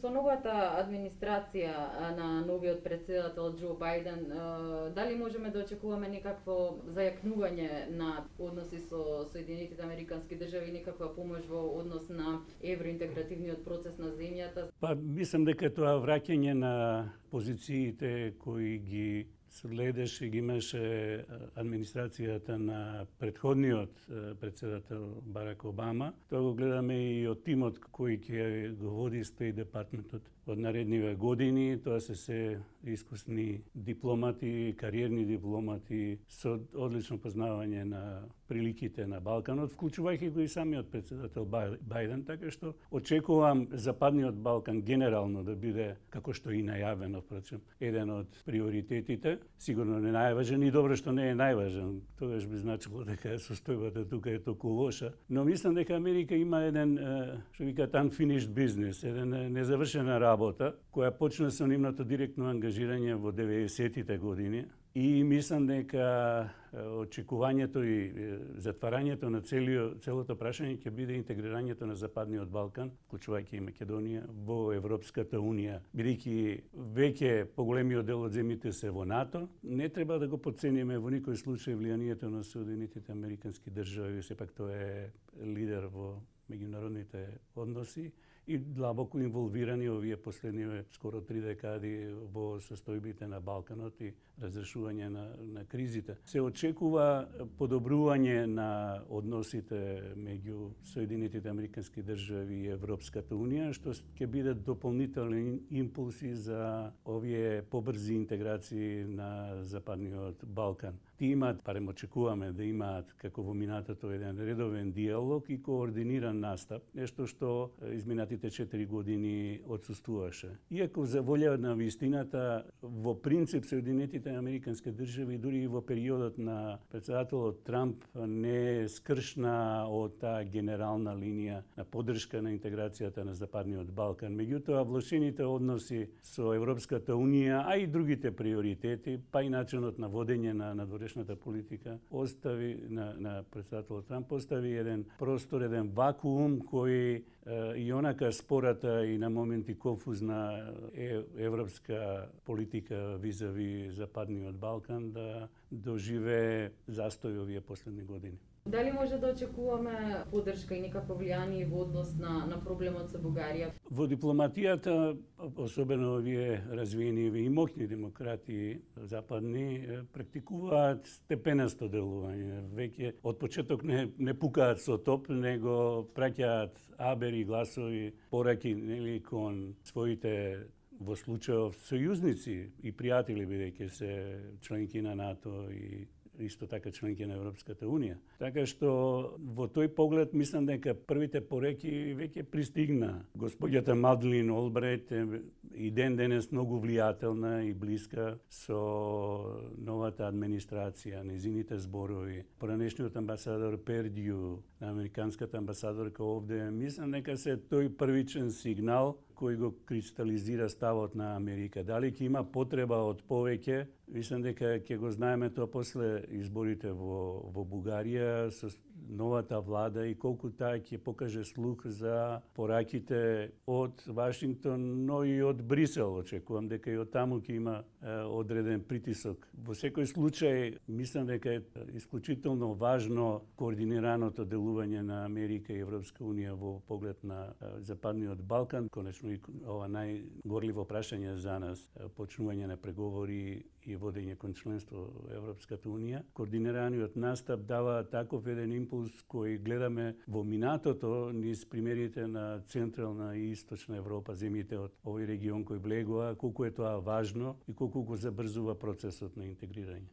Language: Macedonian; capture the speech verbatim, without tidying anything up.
Со новата администрација на новиот претседател Џо Бајден, дали можеме да очекуваме некакво зајакнување на односи со Соединетите Американски држави и некаква помош во однос на евроинтегративниот процес на земјата? Па мислам дека тоа враќање на позициите кои ги следеше, ги имаше администрацијата на претходниот претседател Барак Обама. Тоа го гледаме и од тимот кој ќе го води Стейт департментот од наредниве години. Тоа се се искусни дипломати, кариерни дипломати со одлично познавање на приликите на Балканот, вклучувајќи го и самиот претседател Бајден, така што очекувам Западниот Балкан генерално да биде, како што и најавено, впрочем, еден од приоритетите. Сигурно не најважен и добро што не е најважен. Тогаш би значило дека состојбата тука е толку лоша. Но мислам дека Америка има еден, што викаат, unfinished business, еден незавршена работа, која почна со нивното директно ангажирање во деветдесетите години. И мислам дека очекувањето и затварањето на целиот, целото прашање ќе биде интегрирањето на Западниот Балкан, вклучувајќи и Македонија, во Европската унија. Бидејќи веќе поголемиот дел од земјите се во НАТО, не треба да го потцениме во никој случај влијанието на Соединетите Американски држави, сепак тоа е лидер во меѓународните односи и длабоко инволвирани овие последниве скоро три декади во состојбите на Балканот и разрешување на, на кризите. Се очекува подобрување на односите меѓу Соединетите Американски држави и Европската унија, што ќе бидат дополнителни импулси за овие побрзи интеграции на Западниот Балкан. Ти имаат, парем очекуваме да имаат како во минатото еден редовен диалог и координиран настап, нешто што изминатите четири години отсуствуваше. Иако за волја на вистината, во принцип Соединетите Американски држави дури и во периодот на претседателот Трамп не скршна од таа генерална линија на поддршка на интеграцијата на Западниот Балкан. Меѓутоа, влошените односи со Европската унија, а и другите приоритети, па и начинот на водење на надворешната политика, остави на, на претседателот Трамп остави еден простор, еден вакуум кој и онака спората и на моменти конфузна европска политика визави Западниот Балкан да доживее застој овие последни години. Дали може да очекуваме поддршка и некакво влијание во однос на, на проблемот со Бугарија? Во дипломатијата, особено овие развиени и моќни демократи западни, практикуваат степенасто делување. Веќе од почеток не, не пукаат со топ, него праќаат абери, гласови, пораки, нели, кон своите во случајов сојузници и пријатели, бидејќи се членки на НАТО и исто така членки на Европската унија. Така што во тој поглед мислам дека првите пореки веќе пристигна. Господјата Мадлин Олбрайт е и ден денес многу влијателна и блиска со новата администрација, незините зборови. Поранешниот амбасадор Пердју, американската амбасадорка овде, мислам дека се тој првичен сигнал кој го кристализира ставот на Америка. Дали ќе има потреба од повеќе? Мислам дека ќе го знаеме тоа после изборите во, во Бугарија со новата влада и колку таа ќе покаже слух за пораките од Вашингтон, но и од Брисел. Очекувам дека и од таму ќе има е, одреден притисок. Во секој случај, мислам дека е исклучително важно координираното делување на Америка и Европска унија во поглед на е, Западниот Балкан. Конечно и ова најгорливо прашање за нас, почнување на преговори и водење кон членство во Европската унија. Координираниот настап дава таков еден импулс кој гледаме во минатото низ примерите на Централна и Источна Европа, земјите од овој регион кој влегува, колку е тоа важно и колку го забрзува процесот на интегрирање.